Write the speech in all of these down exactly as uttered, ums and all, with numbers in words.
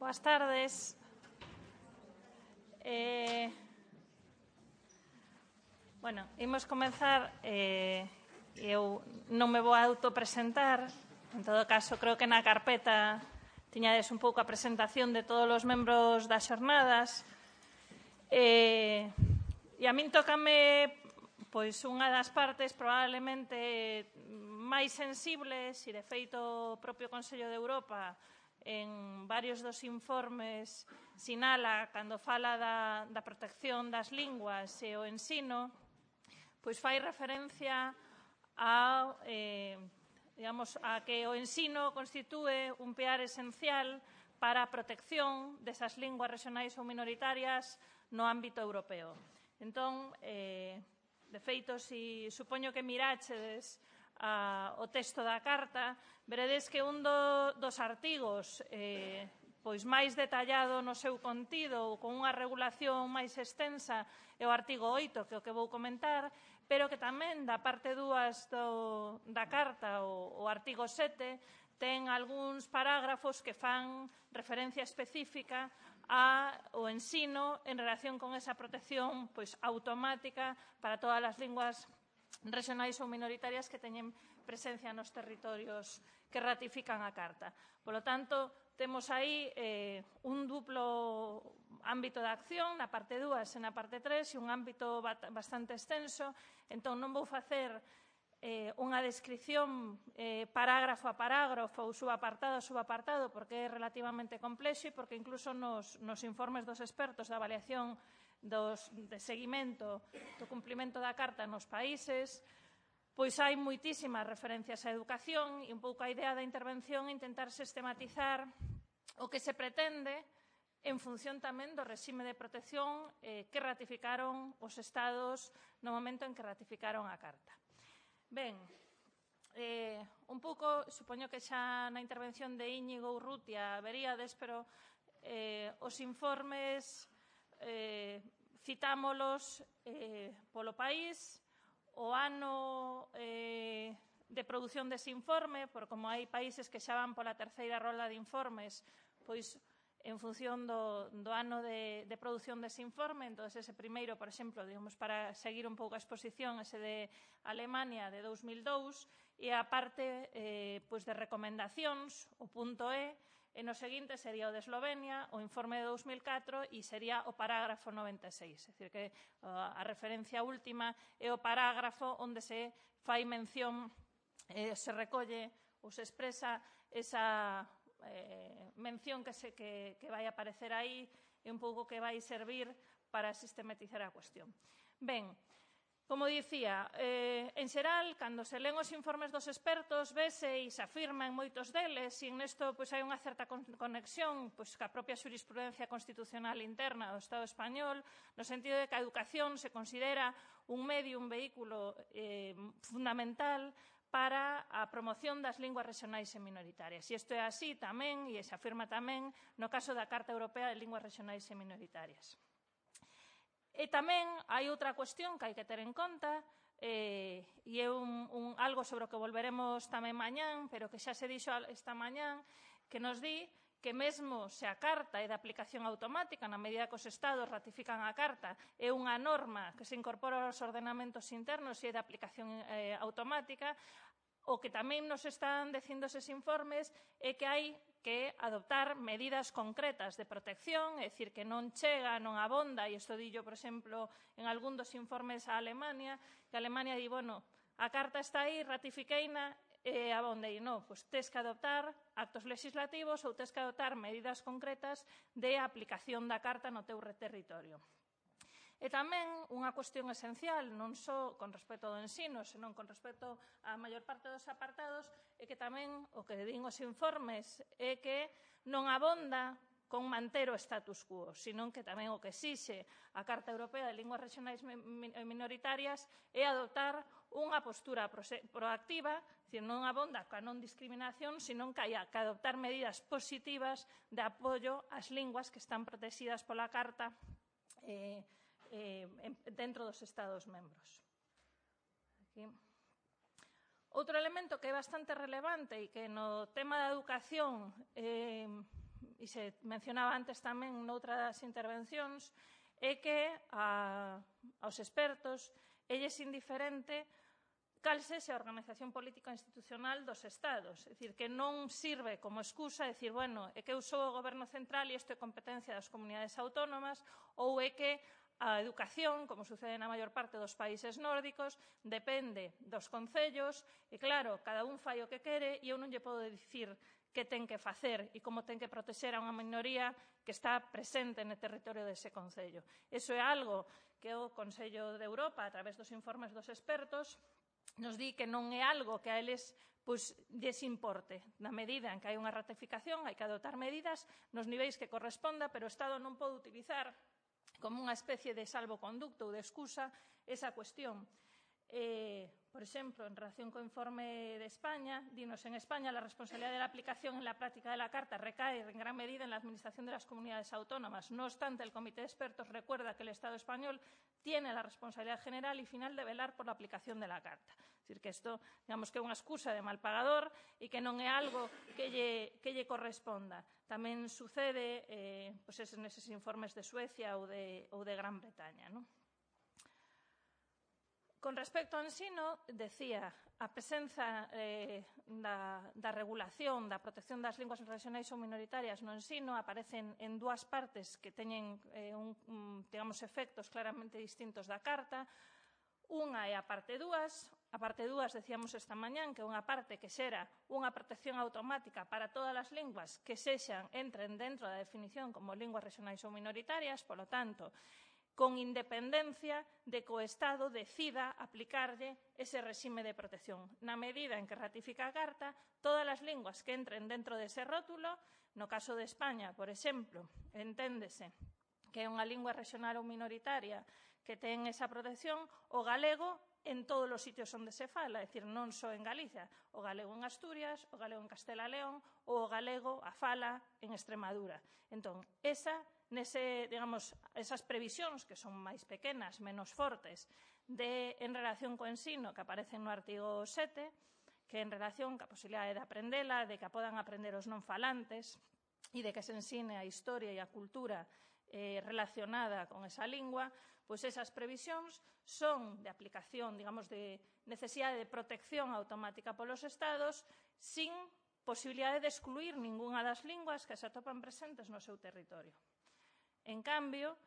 Boas tardes. Eh, bueno, imos comenzar. Eh, eu non me vou a autopresentar. En todo caso, creo que na carpeta tiñades un pouco a presentación de todos os membros das xornadas. Eh, e a min tócame pois unha das partes probablemente máis sensibles, e de feito o propio Consello de Europa en varios dos informes sinala cando fala da, da protección das linguas e o ensino, pois fai referencia a, eh, digamos, a que o ensino constitúe un piar esencial para a protección desas linguas regionais ou minoritarias no ámbito europeo. Entón, eh, de feito, si supoño que miráchedes a, o texto da carta, veredes que un do, dos artigos eh, pois máis detallado no seu contido ou con unha regulación máis extensa é o artigo oito, que é o que vou comentar, pero que tamén da parte dúas do, da carta, o, o artigo sete, ten algúns parágrafos que fan referencia específica ao ensino en relación con esa protección pois, automática para todas as linguas regionais ou minoritarias que teñen presencia nos territorios que ratifican a Carta. Polo tanto, temos aí eh, un duplo ámbito de acción, na parte dúas e na parte tres, e un ámbito bastante extenso. Entón, non vou facer eh, unha descripción eh, parágrafo a parágrafo ou subapartado a subapartado, porque é relativamente complexo e porque incluso nos, nos informes dos expertos da avaliación dos, de seguimento do cumprimento da Carta nos países, pois hai moitísimas referencias á educación e un pouco a idea da intervención é intentar sistematizar o que se pretende en función tamén do réxime de protección eh, que ratificaron os Estados no momento en que ratificaron a Carta. Ben, eh, un pouco, supoño que xa na intervención de Íñigo Urrutia veríades, pero eh, os informes eh, citámolos eh, polo país, o ano eh, de produción dese informe, por como hai países que xa van pola terceira rolda de informes, pois en función do, do ano de, de produción dese informe. Entón, ese primeiro, por exemplo, digamos, para seguir un pouco a exposición, ese de Alemania de dous mil dous, e a parte eh, pois de recomendacións, o punto E, e no seguinte sería o de Eslovenia, o informe de dous mil catro, e sería o parágrafo noventa e seis. É dicir, que a referencia última é o parágrafo onde se fai mención, eh, se recolle ou se expresa esa eh, mención que, se, que, que vai aparecer aí e un pouco que vai servir para sistematizar a cuestión. Ben, como dicía, eh, en xeral, cando se len os informes dos expertos, vese e se afirma en moitos deles, e nesto pois, hai unha certa conexión pois, ca propia xurisprudencia constitucional interna do Estado español, no sentido de que a educación se considera un medio, un vehículo eh, fundamental para a promoción das linguas regionais e minoritarias. E isto é así tamén, e se afirma tamén, no caso da Carta Europea de Linguas Regionais e Minoritarias. E tamén hai outra cuestión que hai que ter en conta, eh, e é un, un, algo sobre o que volveremos tamén mañán, pero que xa se dixo esta mañán, que nos di que mesmo se a Carta é de aplicación automática, na medida que os Estados ratifican a Carta, é unha norma que se incorpora aos ordenamentos internos e é de aplicación eh, automática, o que tamén nos están dicindo eses informes é que hai que adoptar medidas concretas de protección, é dicir, que non chega, non abonda, e isto dillo, por exemplo, en algún dos informes a Alemania, que Alemania di, bueno, a Carta está aí, ratifiqueina, e abonda, e non, pois tes que adoptar actos legislativos ou tes que adoptar medidas concretas de aplicación da Carta no teu territorio. E tamén unha cuestión esencial, non só con respecto ao ensino, senón con respecto á maior parte dos apartados, é que tamén o que din os informes é que non abonda con manter o status quo, senón que tamén o que exixe a Carta Europea de Linguas Regionais e Minoritarias é adoptar unha postura proactiva, dicir, non abonda ca non discriminación, senón que hai que adoptar medidas positivas de apoio ás linguas que están protegidas pola Carta eh, Eh, dentro dos Estados membros. Aquí. Outro elemento que é bastante relevante e que no tema da educación eh, e se mencionaba antes tamén noutras intervencións, é que a, aos expertos elles indiferente cal sexa a organización política institucional dos Estados. É dicir, que non sirve como excusa decir, bueno, é que eu sou o goberno central e isto é competencia das comunidades autónomas, ou é que a educación, como sucede na maior parte dos países nórdicos, depende dos concellos e, claro, cada un fai o que quere e eu non lle podo dicir que ten que facer e como ten que protexer a unha minoría que está presente no territorio dese concello. Iso é algo que o Consello de Europa, a través dos informes dos expertos, nos di que non é algo que a eles pois, lles importe. Na medida en que hai unha ratificación, hai que adoptar medidas nos niveis que corresponda, pero o Estado non pode utilizar como unha especie de salvoconducto ou de excusa esa cuestión. Eh, por exemplo, en relación co informe de España, dinos en España la responsabilidad de la aplicación en la práctica de la Carta recae en gran medida en la administración de las comunidades autónomas. No obstante, el Comité de Expertos recuerda que el Estado español tiene la responsabilidad general y final de velar por la aplicación de la Carta. Es decir, que isto, digamos que é unha excusa de mal pagador e que non é algo que lle, que lle corresponda. Tamén sucede eh, pues, neses informes de Suecia ou de, ou de Gran Bretaña, non? Con respecto ao ensino, decía, a presenza eh, da, da regulación, da protección das linguas regionais ou minoritarias no ensino aparecen en dúas partes que teñen eh, un, un, digamos, efectos claramente distintos da Carta. Unha é a parte dúas. A parte dúas, decíamos esta mañán, que é unha parte que xera unha protección automática para todas as linguas que sexan, entren dentro da definición como linguas regionais ou minoritarias, polo tanto, con independencia de que o Estado decida aplicarlle ese réxime de protección. Na medida en que ratifica a Carta, todas as linguas que entren dentro dese rótulo, no caso de España, por exemplo, enténdese que é unha lingua regional ou minoritaria que ten esa protección, o galego en todos os sitios onde se fala, é dicir, non só en Galicia, o galego en Asturias, o galego en Castela e León, ou o galego a fala en Extremadura. Entón, esa Nese, digamos, esas previsións que son máis pequenas, menos fortes, de, en relación co ensino que aparecen no artigo sete, que en relación ca posibilidade de aprendela, de que podan aprender os non falantes e de que se ensine a historia e a cultura eh, relacionada con esa lingua, pois esas previsións son de aplicación, digamos, de necesidade de protección automática polos Estados sin posibilidade de excluir ningunha das linguas que se atopan presentes no seu territorio. En cambio,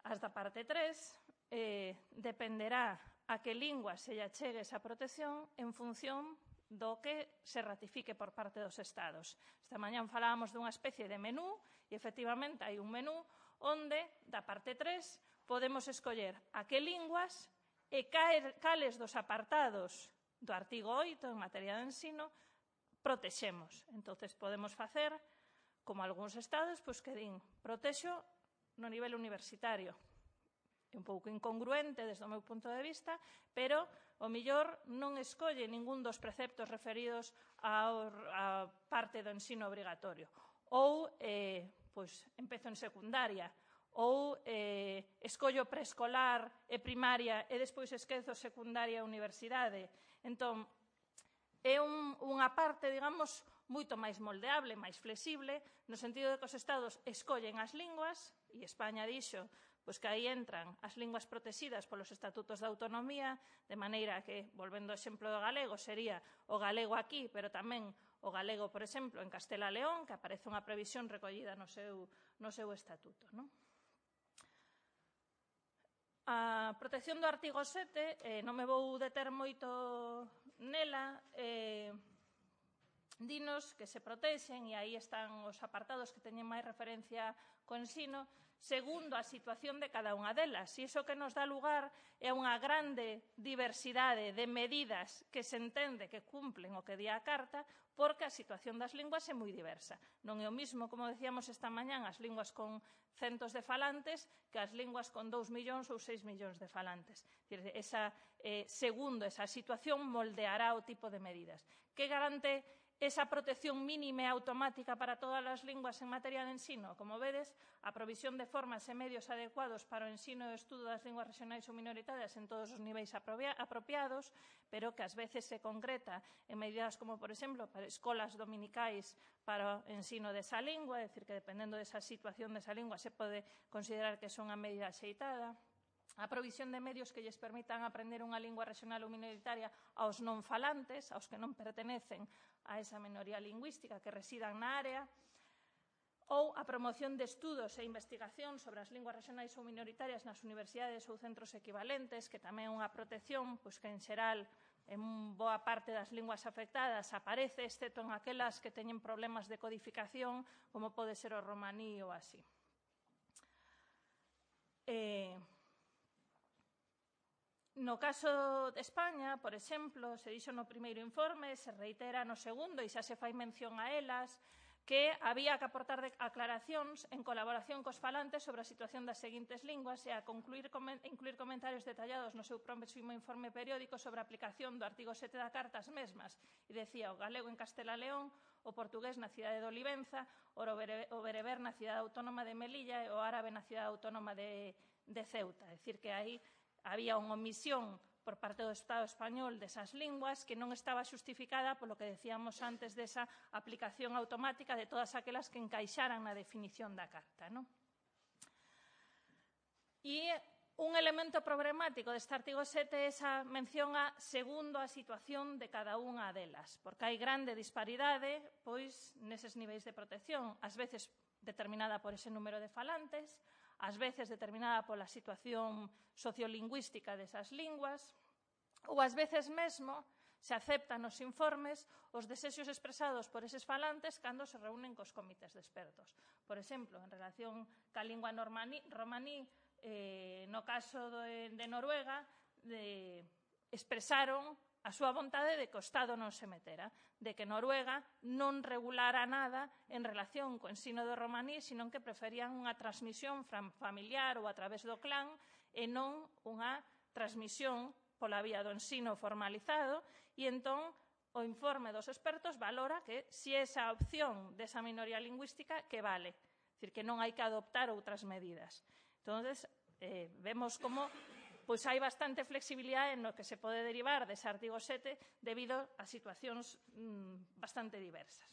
as da parte tres eh, dependerá a que lingua se lle achegue esa protección en función do que se ratifique por parte dos Estados. Esta mañán falábamos dunha especie de menú e, efectivamente, hai un menú onde, da parte tres, podemos escoller a que linguas e cales dos apartados do artigo oito en materia de ensino protexemos. Entón, podemos facer, como algúns Estados, pois que din, protexo no nivel universitario. É un pouco incongruente desde o meu punto de vista, pero o millor non escolle ningún dos preceptos referidos á parte do ensino obrigatorio. Ou, eh, pois, empezo en secundaria, ou eh, escollo preescolar e primaria e despois esquezo secundaria e universidade. Entón, é un, unha parte, digamos, moito máis moldeable, máis flexible, no sentido de que os Estados escollen as linguas, e España dixo pois que aí entran as linguas protegidas polos estatutos de autonomía, de maneira que, volvendo ao exemplo do galego, sería o galego aquí, pero tamén o galego, por exemplo, en Castela e León, que aparece unha previsión recollida no seu, no seu estatuto, non? A protección do artigo sete, eh, non me vou deter moito nela, eh, dinos que se protexen, e aí están os apartados que teñen máis referencia co ensino, segundo a situación de cada unha delas. E iso que nos dá lugar é unha grande diversidade de medidas que se entende que cumplen o que di a Carta, porque a situación das linguas é moi diversa. Non é o mismo, como decíamos esta mañán, as linguas con centos de falantes que as linguas con dous millóns ou seis millóns de falantes. Esa, eh, segundo esa situación moldeará o tipo de medidas. Que garante esa protección mínima e automática para todas as linguas en materia de ensino. Como vedes, a provisión de formas e medios adecuados para o ensino e o estudo das linguas regionais ou minoritarias en todos os niveis apropiados, pero que ás veces se concreta en medidas como, por exemplo, para escolas dominicais para o ensino desa lingua, é dicir, que dependendo desa situación desa lingua se pode considerar que son a medida axeitada. A provisión de medios que lles permitan aprender unha lingua regional ou minoritaria aos non falantes, aos que non pertenecen a esa minoría lingüística que residan na área, ou a promoción de estudos e investigación sobre as linguas regionais ou minoritarias nas universidades ou centros equivalentes, que tamén é unha protección pois, que, en xeral, en boa parte das linguas afectadas aparece, excepto en aquelas que teñen problemas de codificación, como pode ser o romaní ou así. Eh... No caso de España, por exemplo, se dixo no primeiro informe, se reitera no segundo e xa se fai mención a elas, que había que aportar aclaracións en colaboración cos falantes sobre a situación das seguintes linguas e a concluir, incluir comentarios detallados no seu próximo informe periódico sobre a aplicación do artigo sete da Carta ás mesmas. E decía o galego en Castela e León, o portugués na cidade de Olivenza, o bereber na cidade autónoma de Melilla e o árabe na cidade autónoma de, de Ceuta. É dicir, que aí había unha omisión por parte do Estado español desas linguas que non estaba xustificada polo que decíamos antes desa aplicación automática de todas aquelas que encaixaran na definición da Carta. Non? E un elemento problemático deste artigo sete é esa mención a segundo a situación de cada unha delas, porque hai grande disparidade pois neses niveis de protección, ás veces determinada por ese número de falantes, ás veces determinada pola situación sociolingüística desas linguas, ou ás veces mesmo se aceptan nos informes os desexos expresados por eses falantes cando se reúnen cos comités de expertos. Por exemplo, en relación ca lingua romaní, eh, no caso de, de Noruega, de, expresaron a súa vontade de que o Estado non se metera, de que Noruega non regulara nada en relación co ensino do romaní, sino que preferían unha transmisión familiar ou a través do clan e non unha transmisión pola vía do ensino formalizado, e entón o informe dos expertos valora que si esa opción desa minoría lingüística que vale, é dicir, que non hai que adoptar outras medidas. Entón, eh, vemos como pois hai bastante flexibilidade no que se pode derivar dese artigo sete debido a situacións mmm, bastante diversas.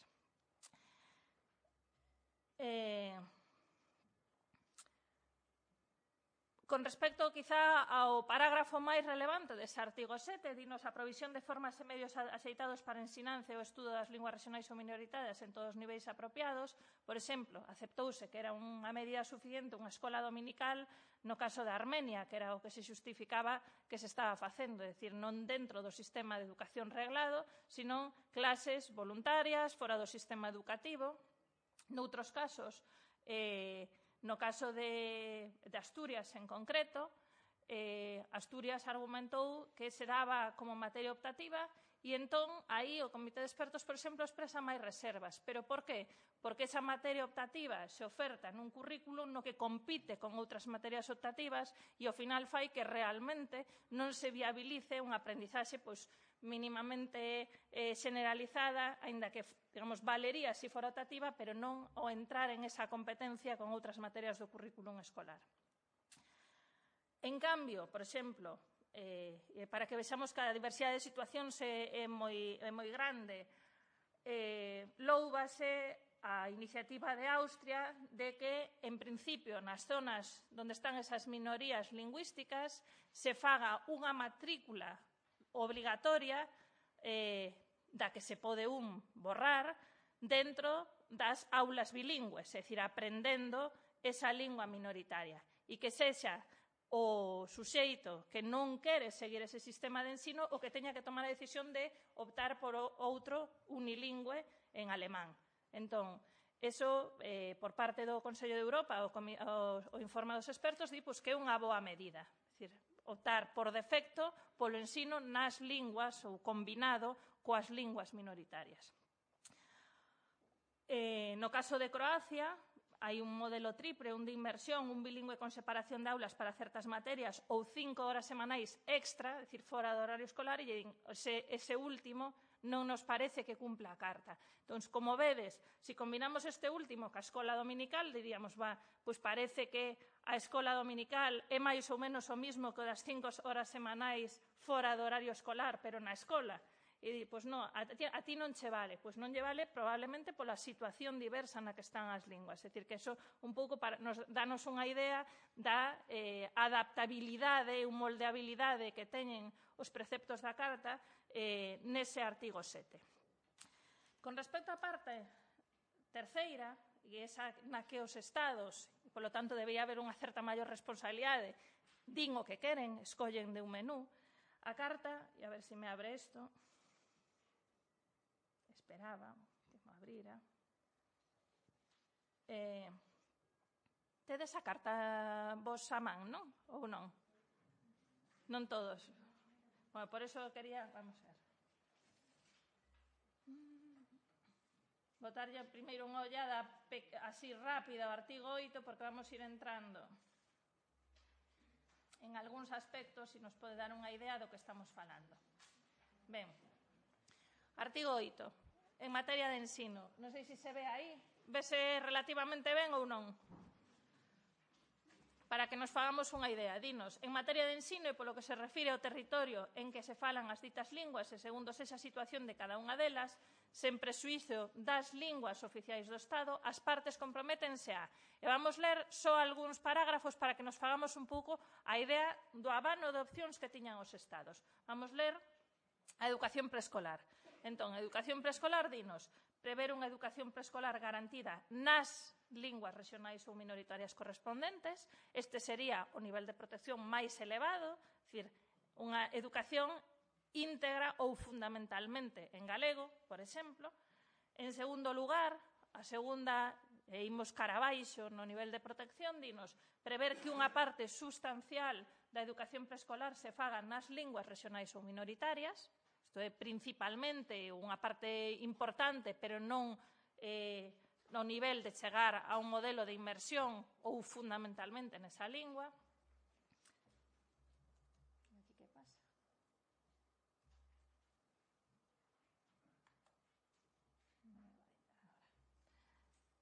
Eh, Con respecto, quizá, ao parágrafo máis relevante dese artigo sete, dinos a provisión de formas e medios axeitados para a ensinanza e o estudo das linguas regionais ou minoritarias en todos os niveis apropiados. Por exemplo, aceptouse que era unha medida suficiente unha escola dominical no caso de Armenia, que era o que se justificaba que se estaba facendo, é dicir, non dentro do sistema de educación reglado, sino clases voluntarias fora do sistema educativo. Noutros casos, eh, no caso de, de Asturias en concreto, eh, Asturias argumentou que se daba como materia optativa e entón aí o Comité de Expertos, por exemplo, expresa máis reservas. Pero por qué? Porque esa materia optativa se oferta nun currículo no que compite con outras materias optativas e ao final fai que realmente non se viabilice unha aprendizaxe pois, mínimamente eh, generalizada, aínda que, digamos, valería se fora optativa, pero non o entrar en esa competencia con outras materias do currículum escolar. En cambio, por exemplo, eh, para que vexamos que a diversidade de situacións é, é, moi, é moi grande, eh, loúbase a iniciativa de Austria de que, en principio, nas zonas onde están esas minorías lingüísticas, se faga unha matrícula obligatoria eh, da que se pode un borrar dentro das aulas bilingües, é dicir, aprendendo esa lingua minoritaria e que sexa o suxeito que non quere seguir ese sistema de ensino o que teña que tomar a decisión de optar por outro unilingüe en alemán. Entón, eso, eh, por parte do Consello de Europa, o, o, o informe dos expertos, di pues, que é unha boa medida. É dicir, optar por defecto polo ensino nas linguas ou combinado coas linguas minoritarias. Eh, no caso de Croacia, hai un modelo triple, un de inmersión, un bilingüe con separación de aulas para certas materias ou cinco horas semanais extra, é dicir, fora do horario escolar, e ese, ese último non nos parece que cumpla a carta. Entón, como vedes, se combinamos este último ca escola dominical, diríamos, va, pois parece que a escola dominical é máis ou menos o mismo que das cinco horas semanais fora do horario escolar, pero na escola. E di, pois non, a ti, a ti non che vale. Pois non lle vale probablemente pola situación diversa na que están as linguas. É dicir, que eso un pouco para, nos danos unha idea da eh, adaptabilidade e moldeabilidade que teñen os preceptos da Carta eh, nese artigo sete. Con respecto á parte terceira, e esa na que os Estados, e polo tanto debería haber unha certa maior responsabilidade, din o que queren, escollen de un menú, a Carta, e a ver se me abre isto, esperaba que me abrira. Eh, tedes a carta vos a man, non? Ou non? Non todos. Bueno, por eso quería, vamos a ver. Botarlle primeiro unha ollada así rápida ao artigo oito, porque vamos ir entrando en algúns aspectos e nos pode dar unha idea do que estamos falando. Ben, artigo oito. En materia de ensino. Non sei se se ve aí. Vese relativamente ben ou non? Para que nos fagamos unha idea. Dinos, en materia de ensino e polo que se refire ao territorio en que se falan as ditas linguas e segundo esa situación de cada unha delas, sen prexuízo das linguas oficiais do Estado, as partes comprométense a. E vamos ler só algúns parágrafos para que nos fagamos un pouco a idea do abano de opcións que tiñan os Estados. Vamos ler a educación preescolar. Entón, a educación preescolar, dinos, prever unha educación preescolar garantida nas linguas regionais ou minoritarias correspondentes. Este sería o nivel de protección máis elevado, é dicir, unha educación íntegra ou fundamentalmente en galego, por exemplo. En segundo lugar, a segunda, e imos cara abaixo no nivel de protección, dinos, prever que unha parte sustancial da educación preescolar se faga nas linguas regionais ou minoritarias. Isto é principalmente unha parte importante, pero non eh, no nivel de chegar a un modelo de inmersión ou fundamentalmente nesa lingua. Aquí que pasa?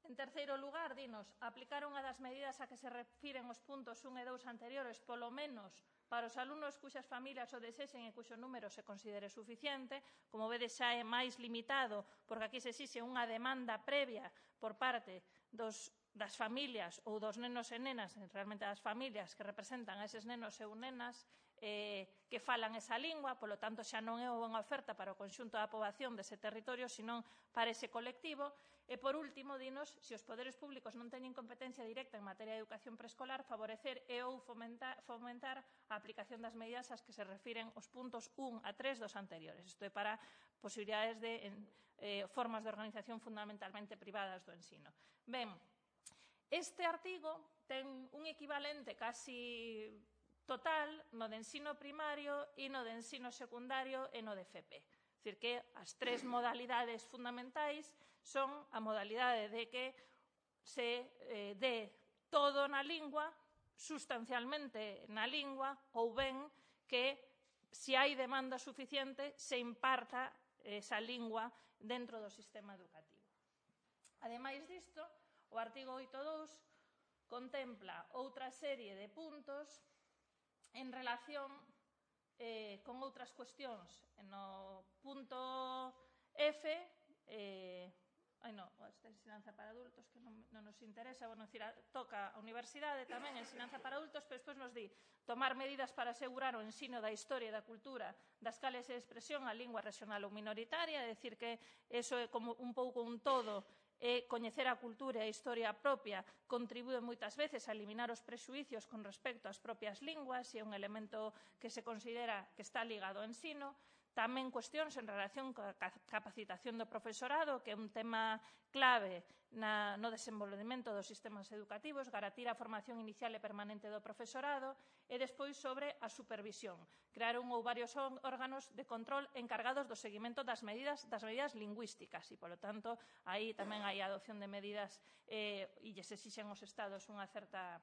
En terceiro lugar, dinos, aplicar unha das medidas a que se refiren os puntos un e dous anteriores, polo menos para os alumnos cuxas familias o desexen e cuxo número se considere suficiente. Como vedes, xa é máis limitado, porque aquí se exixe unha demanda previa por parte dos, das familias ou dos nenos e nenas, realmente das familias que representan a eses nenos e nenas eh, que falan esa lingua, polo tanto xa non é unha oferta para o conxunto da poboación dese territorio, senón para ese colectivo. E, por último, dinos, se os poderes públicos non teñen competencia directa en materia de educación preescolar, favorecer e ou fomentar, fomentar a aplicación das medidas ás que se refiren os puntos un a tres dos anteriores. Isto é para posibilidades de en, eh, formas de organización fundamentalmente privadas do ensino. Ben, este artigo ten un equivalente casi total no de ensino primario e no de ensino secundario e no de F P. É dicir, que as tres modalidades fundamentais son a modalidade de que se eh, dé todo na lingua, sustancialmente na lingua, ou ben que, se hai demanda suficiente, se imparta esa lingua dentro do sistema educativo. Ademais disto, o artigo oito punto dous contempla outra serie de puntos en relación eh, con outras cuestións. No punto F, eh, ai non, esta ensinanza para adultos que non, non nos interesa, bueno, decir, toca a universidade tamén, ensinanza para adultos, pero despois nos di tomar medidas para asegurar o ensino da historia e da cultura das cales e expresión a lingua regional ou minoritaria, é dicir, que eso é como un pouco un todo, e coñecer a cultura e a historia propia contribúe moitas veces a eliminar os prexuícios con respecto ás propias linguas e é un elemento que se considera que está ligado ao ensino. Tamén cuestións en relación coa capacitación do profesorado, que é un tema clave na, no desenvolvemento dos sistemas educativos, garantir a formación inicial e permanente do profesorado, e despois sobre a supervisión. Crear un ou varios órganos de control encargados do seguimento das medidas, das medidas lingüísticas e, polo tanto, aí tamén hai a adopción de medidas eh, e lles exixen aos Estados unha certa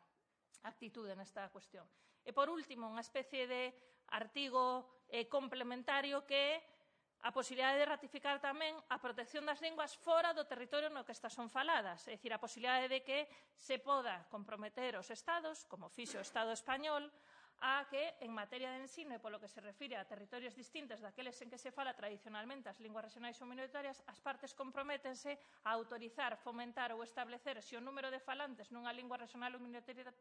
actitude nesta cuestión. E, por último, unha especie de artigo eh, complementario que a posibilidade de ratificar tamén a protección das linguas fora do territorio no que estas son faladas, é dicir, a posibilidade de que se poda comprometer os Estados, como fixo o Estado español, a que, en materia de ensino e polo que se refire a territorios distintos daqueles en que se fala tradicionalmente as linguas regionais ou minoritarias, as partes comprométense a autorizar, fomentar ou establecer se o número de falantes nunha lingua regional ou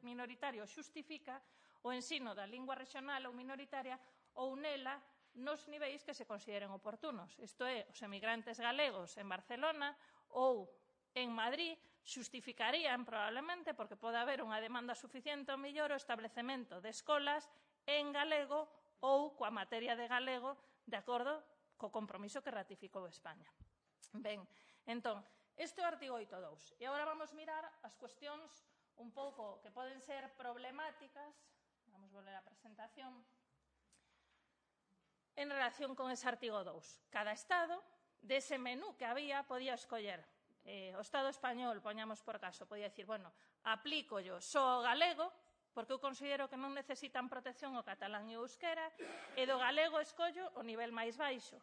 minoritaria xustifica o ensino da lingua regional ou minoritaria ou nela nos niveis que se consideren oportunos. Isto é, os emigrantes galegos en Barcelona ou en Madrid xustificarían probablemente porque pode haber unha demanda suficiente ao mellor o establecemento de escolas en galego ou coa materia de galego de acordo co compromiso que ratificou España. Ben, entón, este é o artigo oito punto dous. E agora vamos mirar as cuestións un pouco que poden ser problemáticas. Vamos volver á presentación. En relación con ese artigo dous. Cada Estado, dese menú que había, podía escoller. Eh, o Estado español, poñamos por caso, podía dicir, bueno, aplico yo só o galego, porque eu considero que non necesitan protección o catalán e o euskera, e do galego escollo o nivel máis baixo.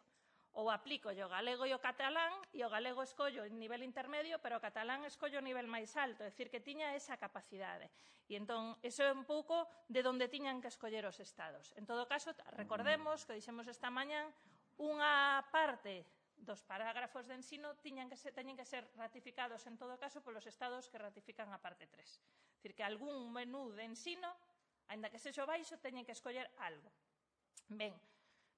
Ou aplico yo o galego e o catalán, e o galego escollo o nivel intermedio, pero o catalán escollo o nivel máis alto, é dicir, que tiña esa capacidade. E entón, iso é un pouco de onde tiñan que escoller os Estados. En todo caso, recordemos que dixemos esta mañán, unha parte dos parágrafos de ensino tiñan que ser, teñen que ser ratificados en todo caso polos Estados que ratifican a parte tres. É dicir, que algún menú de ensino, aínda que sexo baixo, teñen que escoller algo. Ben,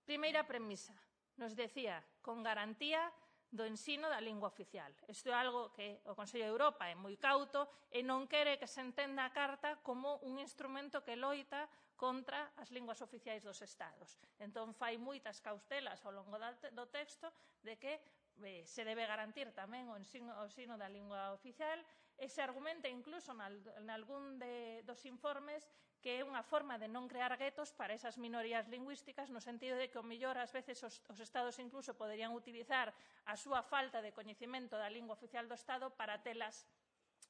primeira premisa. Nos decía, con garantía do ensino da lingua oficial. Isto é algo que o Consello de Europa é moi cauto e non quere que se entenda a Carta como un instrumento que loita contra as linguas oficiais dos Estados. Entón, fai moitas cautelas ao longo do texto de que eh, se debe garantir tamén o ensino, o ensino da lingua oficial e se argumenta incluso en algún de, dos informes que é unha forma de non crear guetos para esas minorías lingüísticas no sentido de que o mellor ás veces os, os Estados incluso poderían utilizar a súa falta de coñecemento da lingua oficial do Estado para telas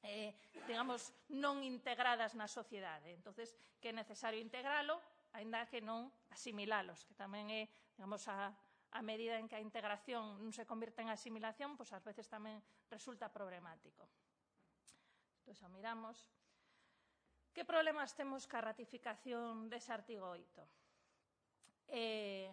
eh, digamos, non integradas na sociedade. Entonces, que é necesario integralo, aínda que non asimilalos, que tamén é, digamos, a, a medida en que a integración non se convirte en asimilación, pois ás veces tamén resulta problemático. Entón, xa miramos. Que problemas temos ca ratificación dese artigo oito? Eh,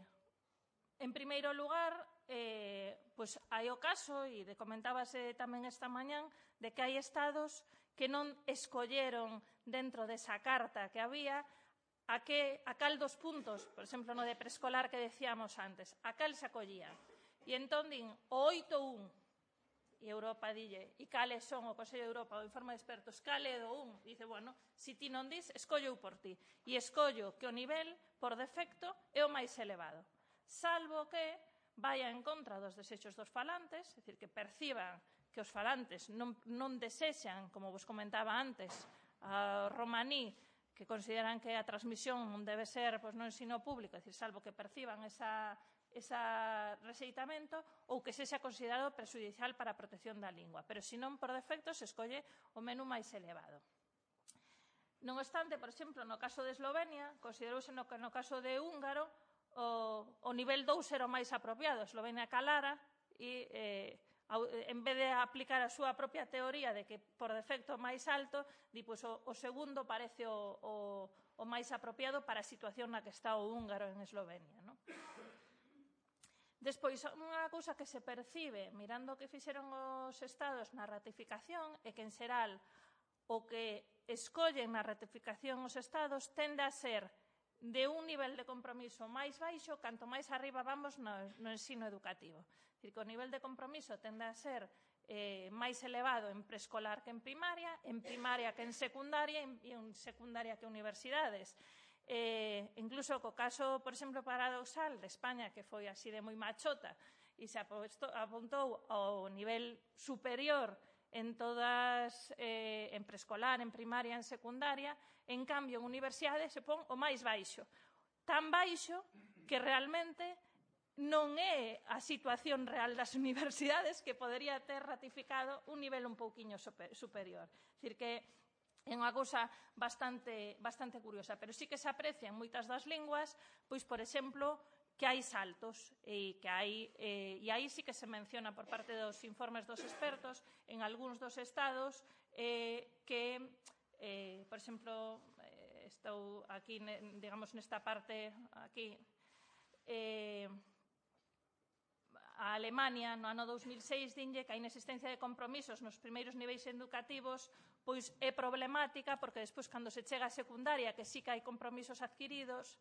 en primeiro lugar, eh, pois hai o caso, e de comentábase tamén esta mañán, de que hai estados que non escolleron dentro desa carta que había a, que, a cal dos puntos, por exemplo, no de preescolar que decíamos antes, a cal se acollía. E entón din o oito punto un, e Europa dille, e cales son o Consello de Europa, o informe de expertos, cale do un, dice, bueno, si ti non dis, escollo por ti. E escollo que o nivel, por defecto, é o máis elevado. Salvo que vaya en contra dos desexos dos falantes, é dicir, que perciban que os falantes non, non desexan, como vos comentaba antes, a romaní, que consideran que a transmisión non debe ser pois, no ensino público, é dicir, salvo que perciban esa ese rexeitamento ou que sexa considerado prexudicial para a protección da lingua. Pero, se non, por defecto, se escolle o menú máis elevado. Non obstante, por exemplo, no caso de Eslovenia, considerouse no, no caso de Húngaro, o, o nivel dous era o máis apropiado. Eslovenia calara e, eh, en vez de aplicar a súa propia teoría de que, por defecto, máis alto, di, pois, o, o segundo parece o, o, o máis apropiado para a situación na que está o húngaro en Eslovenia, non? Despois, unha cousa que se percibe mirando o que fixeron os Estados na ratificación é que, en xeral, o que escollen na ratificación os Estados tende a ser de un nivel de compromiso máis baixo canto máis arriba vamos no, no ensino educativo. É dicir, que o nivel de compromiso tende a ser eh, máis elevado en preescolar que en primaria, en primaria que en secundaria e en secundaria que en universidades. Eh, incluso co caso, por exemplo, paradoxal de España, que foi así de moi machota e se apuntou ao nivel superior en todas, eh, en preescolar, en primaria, en secundaria, en cambio, en universidade se pon o máis baixo. Tan baixo que realmente non é a situación real das universidades que podería ter ratificado un nivel un pouquiño superior. É dicir, que é unha cousa bastante, bastante curiosa, pero sí que se aprecia en moitas das linguas, pois, por exemplo, que hai saltos e que hai, eh, e aí sí que se menciona por parte dos informes dos expertos en algúns dos estados eh, que, eh, por exemplo, eh, estou aquí, digamos, nesta parte aquí, eh, a Alemania, no ano dous mil seis, dinlle que a inexistencia de compromisos nos primeiros niveis educativos pois é problemática porque despois, cando se chega a secundaria, que sí que hai compromisos adquiridos,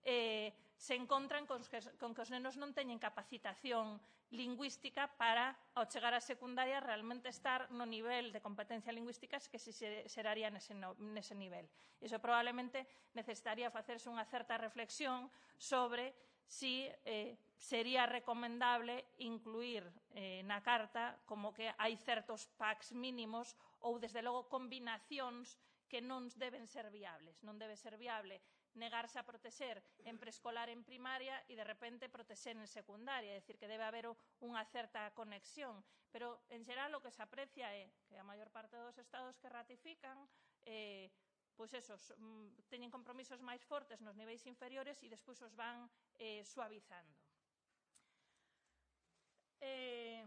eh, se encontran con que, con que os nenos non teñen capacitación lingüística para, ao chegar á secundaria, realmente estar no nivel de competencia lingüística que se xeraría nese, no, nese nivel. Iso probablemente necesitaría facerse unha certa reflexión sobre si eh, sería recomendable incluir eh, na carta como que hai certos packs mínimos ou, desde logo, combinacións que non deben ser viables. Non debe ser viable negarse a protexer en preescolar, en primaria, e de repente protexer en secundaria. É dicir, que debe haber unha certa conexión. Pero, en xeral, o que se aprecia é que a maior parte dos estados que ratifican eh, pois esos, teñen compromisos máis fortes nos niveis inferiores e despois os van eh, suavizando. Eh,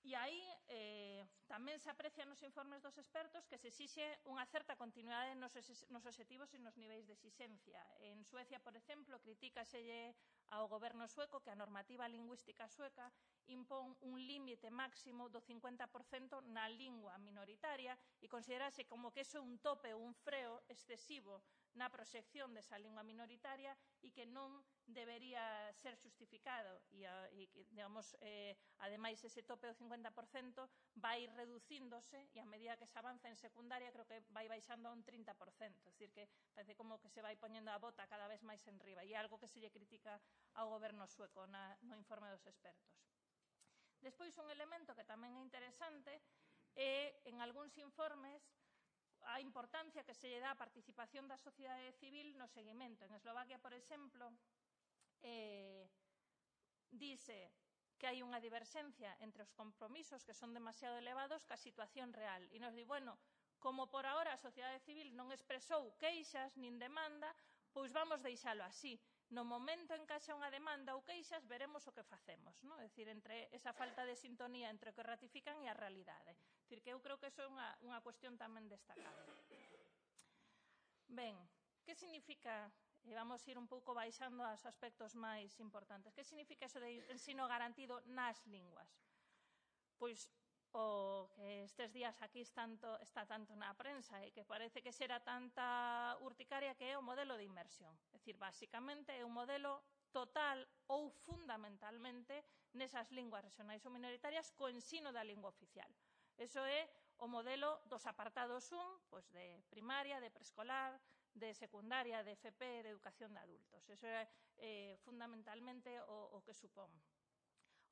E aí eh, tamén se aprecia nos informes dos expertos que se exixe unha certa continuidade nos, nos obxectivos e nos niveis de exixencia. En Suecia, por exemplo, critícaselle ao goberno sueco que a normativa lingüística sueca impón un límite máximo do cincuenta por cento na lingua minoritaria e considerase como que iso é un tope ou un freo excesivo na proxección desa lingua minoritaria e que non debería ser xustificado e, e digamos, eh, ademais, ese tope do cincuenta por cento vai reducíndose e a medida que se avanza en secundaria creo que vai baixando a un trinta por cento, é dicir, que parece como que se vai poñendo a bota cada vez máis en riba e é algo que se lle critica ao goberno sueco na, no informe dos expertos. Despois, un elemento que tamén é interesante é, en algúns informes, a importancia que se lle dá a participación da sociedade civil no seguimento. En Eslovaquia, por exemplo, eh, dice que hai unha diverxencia entre os compromisos que son demasiado elevados ca situación real. E nos di, bueno, como por ahora a sociedade civil non expresou queixas nin demanda, pois vamos deixalo así. No momento en que haxa unha demanda ou queixas, veremos o que facemos. Non? É dicir, entre esa falta de sintonía entre o que ratifican e a realidade. É dicir, que eu creo que iso é unha, unha cuestión tamén destacable. Ben, que significa, e vamos ir un pouco baixando aos aspectos máis importantes, que significa iso de ensino garantido nas linguas? Pois o que estes días aquí tanto, está tanto na prensa e que parece que será tanta urticaria, que é o modelo de inmersión. É dicir, basicamente é un modelo total ou fundamentalmente nesas linguas regionais ou minoritarias co ensino da lingua oficial. Eso é o modelo dos apartados un, pois de primaria, de preescolar, de secundaria, de F P, de educación de adultos. Eso é eh, fundamentalmente o, o que supón.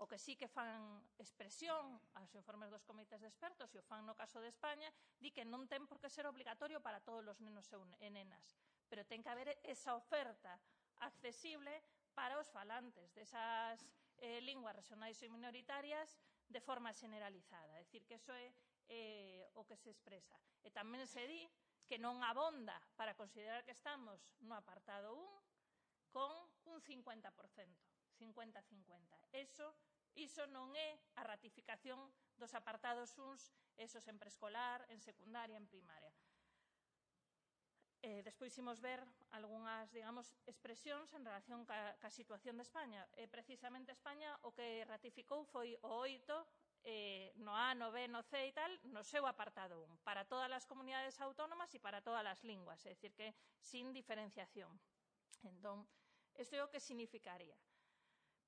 O que sí que fan expresión aos informes dos comités de expertos, e o fan no caso de España, di que non ten por que ser obligatorio para todos os nenos e nenas, pero ten que haber esa oferta accesible para os falantes desas eh, linguas regionais e minoritarias de forma generalizada. É dicir, que iso é eh, o que se expresa. E tamén se di que non abonda para considerar que estamos no apartado un con un cincuenta por cento, cincuenta a cincuenta. Eso Iso non é a ratificación dos apartados uns, esos en preescolar, en secundaria, en primaria. Eh, despois imos ver algunhas, digamos, expresións en relación ca, ca situación de España. Eh, precisamente España o que ratificou foi o oito, eh, no A, no B, no C e tal, no seu apartado un, para todas as comunidades autónomas e para todas as linguas, é dicir, que sin diferenciación. Entón, isto é o que significaría.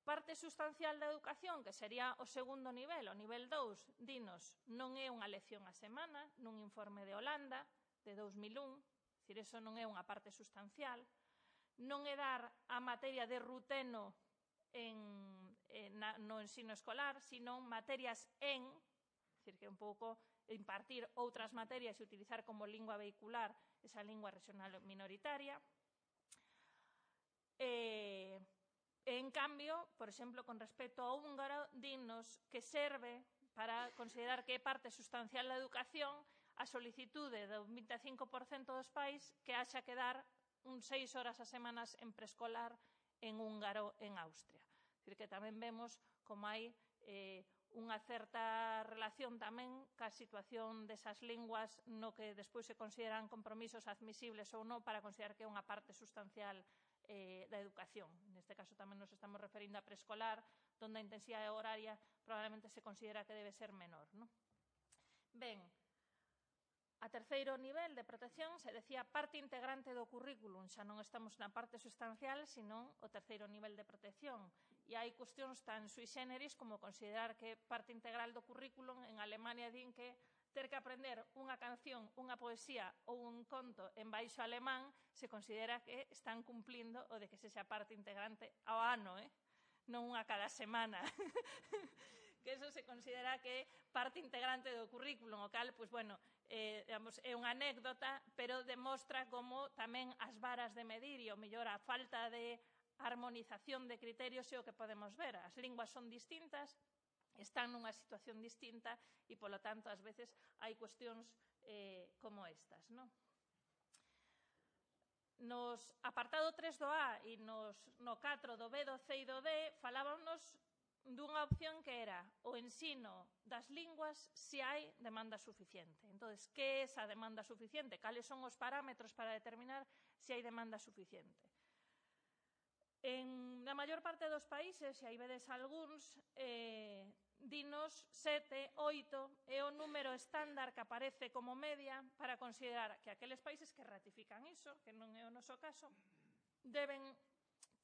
Parte sustancial da educación, que sería o segundo nivel, o nivel dous, dinos, non é unha lección a semana, nun informe de Holanda, de dous mil un, é dicir, eso non é unha parte sustancial, non é dar a materia de ruteno en, en, no ensino escolar, sino materias en, é dicir, que un pouco impartir outras materias e utilizar como lingua vehicular esa lingua regional minoritaria. Eh... En cambio, por exemplo, con respecto ao húngaro, dinnos que serve para considerar que é parte sustancial da educación a solicitude do vinte e cinco por cento dos pais que haxa que dar uns seis horas a semanas en preescolar en húngaro en Austria. É dicir, que tamén vemos como hai eh, unha certa relación tamén ca situación desas linguas no que despois se consideran compromisos admisibles ou non para considerar que é unha parte sustancial eh, da educación. Neste caso tamén nos estamos referindo a preescolar, onde a intensidade horaria probablemente se considera que debe ser menor, non? Ben, a terceiro nivel de protección se decía parte integrante do currículum, xa non estamos na parte sustancial, senón o terceiro nivel de protección. E hai cuestións tan sui generis como considerar que parte integral do currículum en Alemania din que ter que aprender unha canción, unha poesía ou un conto en baixo alemán se considera que están cumplindo o de que sexa parte integrante ao ano, eh? Non unha cada semana. Que eso se considera que é parte integrante do currículum, o cal, pois, bueno, eh, digamos, é unha anécdota, pero demostra como tamén as varas de medir e, o mellor, a falta de armonización de criterios é o que podemos ver. As linguas son distintas, están nunha situación distinta e, polo tanto, ás veces hai cuestións eh, como estas, non? Nos apartado tres do A e nos, no catro do B, do C e do D falábamos dunha opción que era o ensino das linguas se hai demanda suficiente. Entón, que é esa demanda suficiente? Cales son os parámetros para determinar se hai demanda suficiente? En na maior parte dos países, se hai vedes algúns, eh, dinos sete, oito é o número estándar que aparece como media para considerar que aqueles países que ratifican iso, que non é o noso caso, deben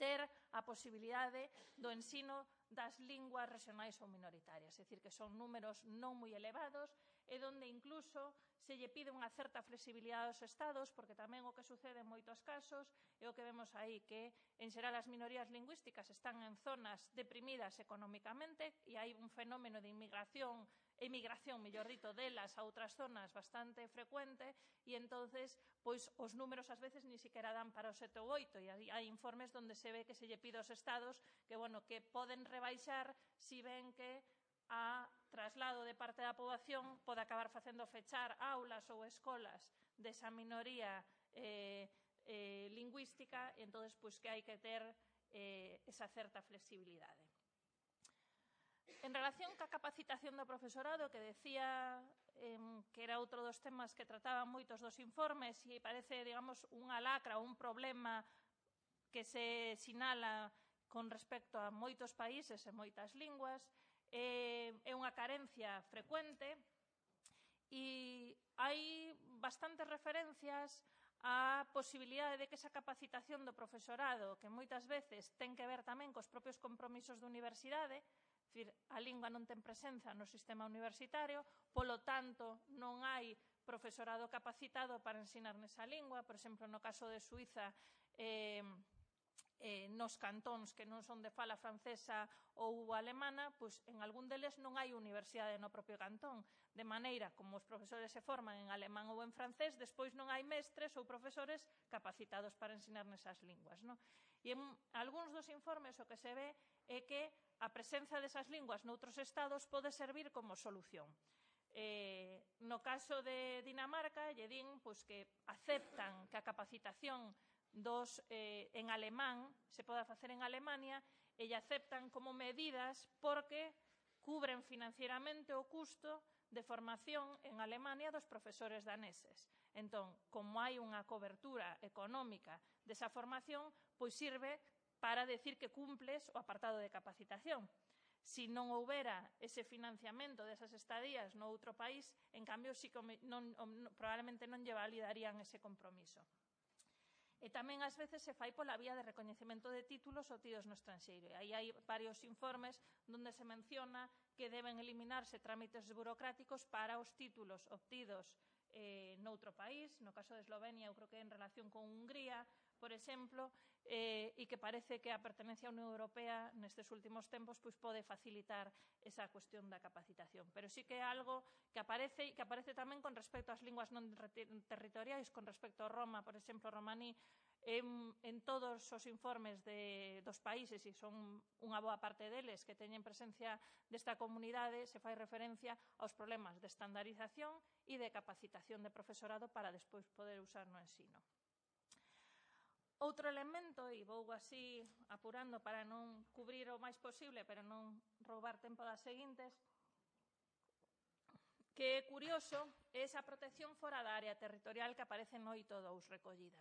ter a posibilidade do ensino das linguas regionais ou minoritarias. É dicir, que son números non moi elevados e onde incluso se lle pide unha certa flexibilidade aos Estados, porque tamén o que sucede en moitos casos é o que vemos aí, que en xeral as minorías lingüísticas están en zonas deprimidas económicamente e hai un fenómeno de inmigración emigración, mellor dito, delas a outras zonas bastante frecuente e, entonces, pois, os números ás veces ni siquiera dan para o sete ou oito e hai informes onde se ve que se lle pide aos Estados que, bueno, que poden rebaixar si ven que a traslado de parte da poboación pode acabar facendo fechar aulas ou escolas desa minoría eh, eh, lingüística e, entonces, pois, que hai que ter eh, esa certa flexibilidade. En relación ca capacitación do profesorado, que decía eh, que era outro dos temas que trataban moitos dos informes e parece, digamos, unha lacra ou un problema que se sinala con respecto a moitos países e moitas linguas, eh, é unha carencia frecuente e hai bastantes referencias a posibilidade de que esa capacitación do profesorado, que moitas veces ten que ver tamén cos propios compromisos da universidade, dicir, a lingua non ten presenza no sistema universitario, polo tanto, non hai profesorado capacitado para ensinar nesa lingua. Por exemplo, no caso de Suíza, eh, eh, nos cantóns que non son de fala francesa ou alemana, pois en algún deles non hai universidade no propio cantón, de maneira como os profesores se forman en alemán ou en francés, despois non hai mestres ou profesores capacitados para ensinar nesas linguas, non? E en algúns dos informes o que se ve é que a presenza desas linguas noutros estados pode servir como solución. Eh, no caso de Dinamarca, lle din pois, que aceptan que a capacitación dos, eh, en alemán se poda facer en Alemania e lle aceptan como medidas porque cubren financieramente o custo de formación en Alemania dos profesores daneses. Entón, como hai unha cobertura económica desa formación, pois sirve para decir que cumples o apartado de capacitación. Si non houbera ese financiamento desas estadías no outro país, en cambio, si non, probablemente non lle validarían ese compromiso. E tamén, ás veces, se fai pola vía de recoñecemento de títulos obtidos no estranxeiro. E aí hai varios informes onde se menciona que deben eliminarse trámites burocráticos para os títulos obtidos eh, noutro país. No caso de Eslovenia, eu creo que en relación con Hungría, por exemplo, eh, e que parece que a pertenencia á Unión Europea nestes últimos tempos pois, pode facilitar esa cuestión da capacitación. Pero sí que é algo que aparece e que aparece tamén con respecto ás linguas non territoriais, con respecto a Roma, por exemplo, romaní, en, en todos os informes de, dos países, e son unha boa parte deles que teñen presencia desta comunidade, se fai referencia aos problemas de estandarización e de capacitación de profesorado para despois poder usar no ensino. Outro elemento, e vou así apurando para non cubrir o máis posible, pero non roubar tempo das seguintes, que é curioso é esa protección fora da área territorial que aparece no oito dous recollida.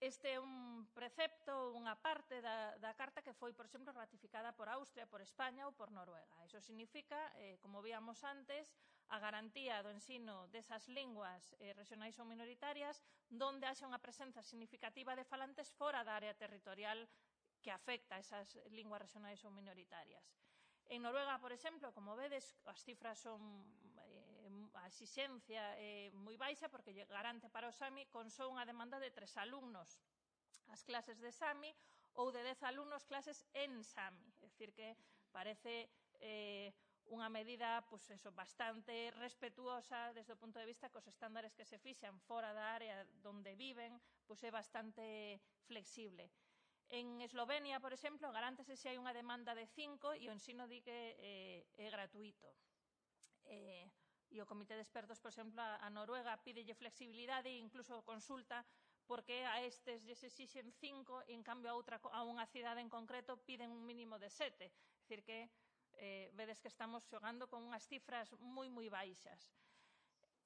Este é un precepto, unha parte da, da carta que foi, por exemplo, ratificada por Austria, por España ou por Noruega. Iso significa, eh, como víamos antes, a garantía do ensino desas linguas eh, regionais ou minoritarias donde haxa unha presenza significativa de falantes fora da área territorial que afecta a esas linguas regionais ou minoritarias. En Noruega, por exemplo, como vedes, as cifras son eh, a exixencia eh, moi baixa porque garante para o Sami con só unha demanda de tres alumnos as clases de Sami ou de dez alumnos clases en Sami. É dicir, que parece eh, unha medida pues, eso, bastante respetuosa desde o punto de vista que os estándares que se fixan fora da área onde viven pues, é bastante flexible. En Eslovenia, por exemplo, garántese se hai unha demanda de cinco e o ensino di que eh, é gratuito. Eh, e o Comité de Expertos, por exemplo, a Noruega pídelle flexibilidade e incluso consulta porque a estes lles exixen cinco e, en cambio, a, outra, a unha cidade en concreto piden un mínimo de sete. É dicir, que eh, vedes que estamos xogando con unhas cifras moi, moi baixas.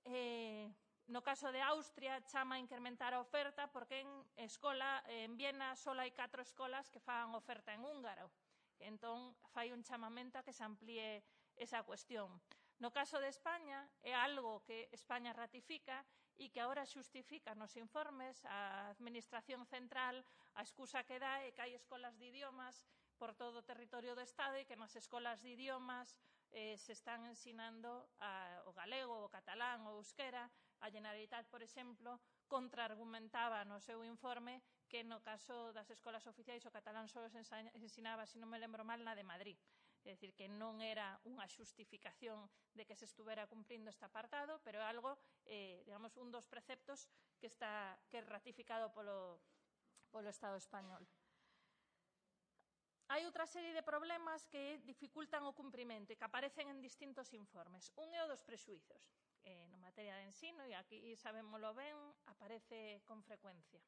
Eh... No caso de Austria, chama a incrementar a oferta porque en escola, en Viena, só hai catro escolas que fan oferta en húngaro. Entón, fai un chamamento a que se amplíe esa cuestión. No caso de España, é algo que España ratifica e que agora xustifica nos informes a Administración Central, a excusa que dá é que hai escolas de idiomas por todo o territorio do Estado e que nas escolas de idiomas eh, se están ensinando a, o galego, o catalán, o euskera. A Generalitat, por exemplo, contraargumentaba no seu informe que no caso das escolas oficiais o catalán só se ensinaba, se non me lembro mal, na de Madrid. É dicir, que non era unha xustificación de que se estuvera cumprindo este apartado, pero é algo, eh, digamos, un dos preceptos que está que é ratificado polo, polo Estado español. Hai outra serie de problemas que dificultan o cumprimento e que aparecen en distintos informes. Un é o dos prexuizos. Eh, no materia de ensino, e aquí sabémolo ben, aparece con frecuencia.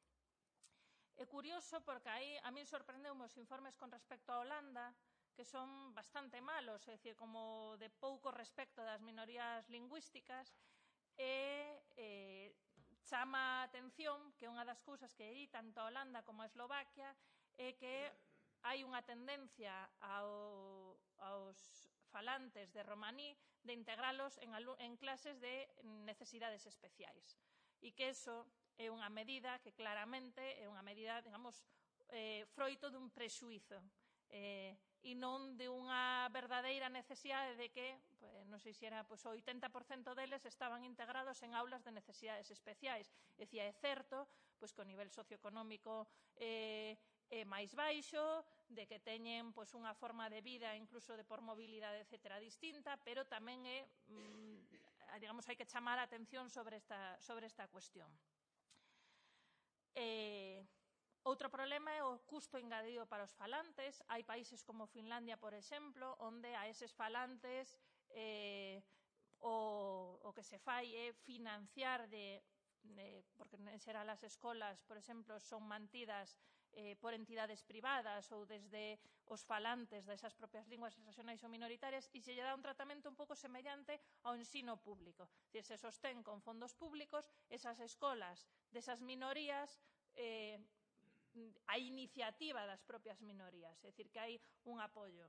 É curioso porque aí a mí sorprendeu os informes con respecto a Holanda, que son bastante malos, é dicir, como de pouco respecto das minorías lingüísticas, e eh, chama a atención que unha das cousas que aí tanto a Holanda como a Eslovaquia é que hai unha tendencia ao, aos falantes de romaní de integralos en, en clases de necesidades especiais. E que eso é unha medida que claramente é unha medida, digamos, eh, froito dun prexuízo eh, e non de unha verdadeira necesidade de que, pues, non sei se era, pues, o oitenta por cento deles estaban integrados en aulas de necesidades especiais. É dicir, é certo pues, que o nivel socioeconómico eh, é máis baixo, de que teñen pois, unha forma de vida, incluso de por mobilidade, etcétera, distinta, pero tamén é, mmm, digamos, hai que chamar a atención sobre esta, sobre esta cuestión. Eh, outro problema é o custo engadido para os falantes. Hai países como Finlandia, por exemplo, onde a eses falantes eh, o, o que se fai é financiar de Eh, porque en xeral as escolas, por exemplo, son mantidas eh, por entidades privadas ou desde os falantes desas propias linguas regionais ou minoritarias e se lle dá un tratamento un pouco semellante ao ensino público. Se sostén con fondos públicos esas escolas desas minorías eh, a iniciativa das propias minorías, é dicir, que hai un apoio.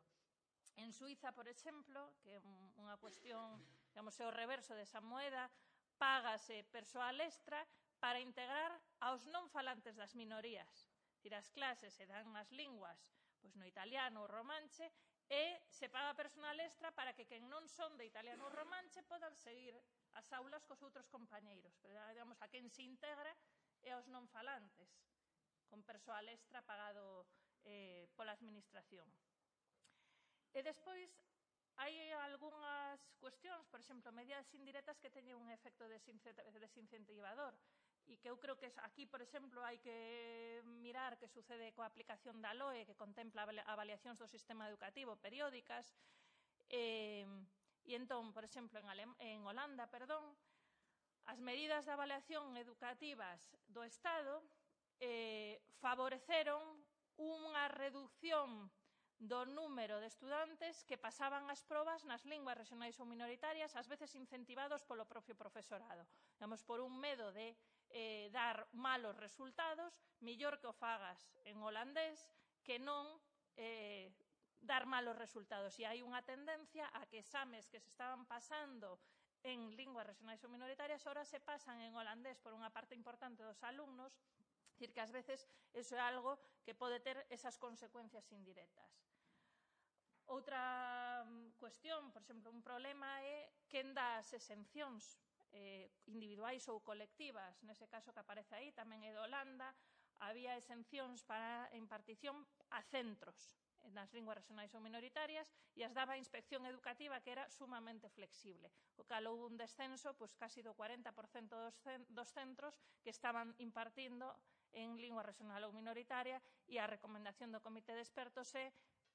En Suiza, por exemplo, que é unha cuestión, digamos, é o reverso desa moeda, págase persoal extra para integrar aos non falantes das minorías. Dicir, as clases se dan nas linguas pois no italiano ou romanche e se paga personal extra para que quen non son de italiano ou romanche podan seguir as aulas cos outros compañeiros. Pero, digamos, a quen se integra é aos non falantes, con persoal extra pagado eh, pola administración. E despois, hai algunhas cuestións, por exemplo, medidas indirectas que teñen un efecto desincentivador e que eu creo que aquí, por exemplo, hai que mirar que sucede coa aplicación da L O E, que contempla avaliacións do sistema educativo periódicas. E, e entón, por exemplo, en, Alem en Holanda, perdón, as medidas de avaliación educativas do Estado eh, favoreceron unha reducción do número de estudantes que pasaban as probas nas linguas rexionais ou minoritarias, ás veces incentivados polo propio profesorado. Digamos, por un medo de eh, dar malos resultados, mellor que o fagas en holandés que non eh, dar malos resultados. E hai unha tendencia a que exames que se estaban pasando en linguas rexionais ou minoritarias ahora se pasan en holandés por unha parte importante dos alumnos. É dicir, que ás veces iso é algo que pode ter esas consecuencias indirectas. Outra cuestión, por exemplo, un problema é quen dá as exencións eh, individuais ou colectivas. Nese caso que aparece aí, tamén é de Holanda, había exencións para a impartición a centros nas linguas rexionais ou minoritarias e as daba a Inspección Educativa, que era sumamente flexible. O cal houve un descenso, pois, casi do cuarenta por cento dos centros que estaban impartindo en lingua rexional ou minoritaria, e a recomendación do Comité de Expertos é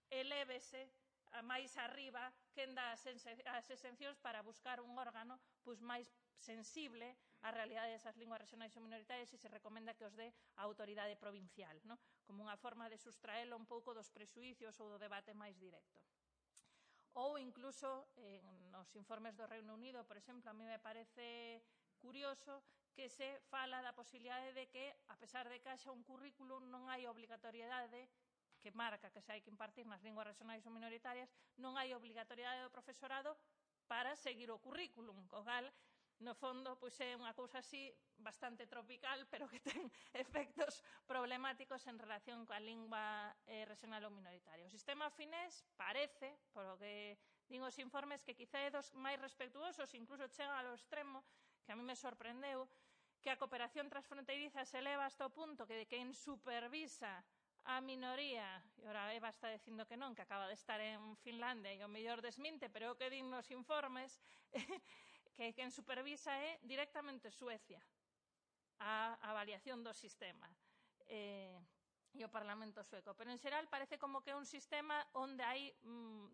elévese a máis arriba quen dá as exencións para buscar un órgano pois, máis sensible á realidade desas linguas rexionais ou minoritarias e se recomenda que os dé a autoridade provincial, no? Como unha forma de sustraelo un pouco dos prexuicios ou do debate máis directo. Ou incluso en nos informes do Reino Unido, por exemplo, a mí me parece curioso que se fala da posibilidade de que, a pesar de que haxa un currículum, non hai obligatoriedade que marca que se hai que impartir nas linguas rexionais ou minoritarias, non hai obligatoriedade do profesorado para seguir o currículum, co cal, no fondo, pois é unha cousa así bastante tropical, pero que ten efectos problemáticos en relación coa lingua eh, rexional ou minoritaria. O sistema finés parece, polo que din os informes, que quizá é dos máis respectuosos, incluso chega ao extremo, que a mí me sorprendeu, que a cooperación transfronteiriza se eleva hasta o punto que de quen supervisa a minoría, e ora Eva está dicindo que non, que acaba de estar en Finlandia e o mellor desminte, pero o que din nos informes que quen supervisa é directamente Suecia a avaliación do sistema eh, e o Parlamento sueco. Pero en xeral parece como que é un sistema onde hai,